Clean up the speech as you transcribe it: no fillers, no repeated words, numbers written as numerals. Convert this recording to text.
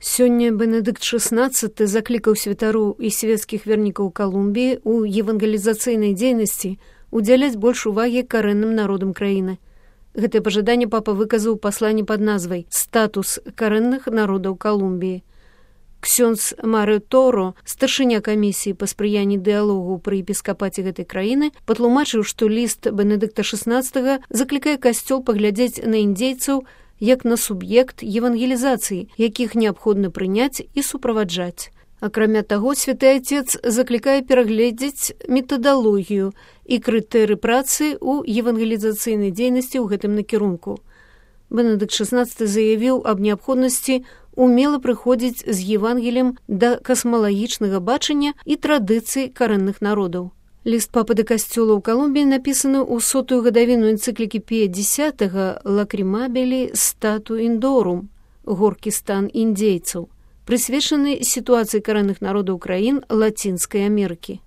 Сёння Бенедыкт XVI заклікаў святароў і свецкіх вернікаў Калумбіі ў евангелізацыйнай дзейнасці удзяляць больш увагі карэнным народам краіны. Гэтае пажаданне папа выказаў у пасланні пад назвай «Статус карэнных народаў Калумбіі». Ксёндз Марио Торо, старшыня камісіі па спрыянні дыялогу пры епіскапаце гэтай краіны, патлумачыў, што ліст Бенедыкта XVI заклікае касцёл паглядзець на індзейцаў як на суб'ект евангелізацыі, якіх неабходна прыняць і суправаджаць. Акрамя таго, святы Отец заклікае перагледзець метадалогію і крытэры працы ў евангелізацыйнай дзейнасці ў гэтым накірунку. Бенедыкт XVI заявіў аб неабходнасці умела прыходзіць з Евангеліем да касмалагічнага бачання і традыцый карэнных народаў. Ліст папы да касцёла ў Калумбіі напісаны ў 100-ю гадавіну энцыклікі Пія X «Лакрымабілі стату індорум» «Горкі стан індзейцаў», прысвечаны сітуацыі карэнных народаў краін Лацінскай Амерыкі.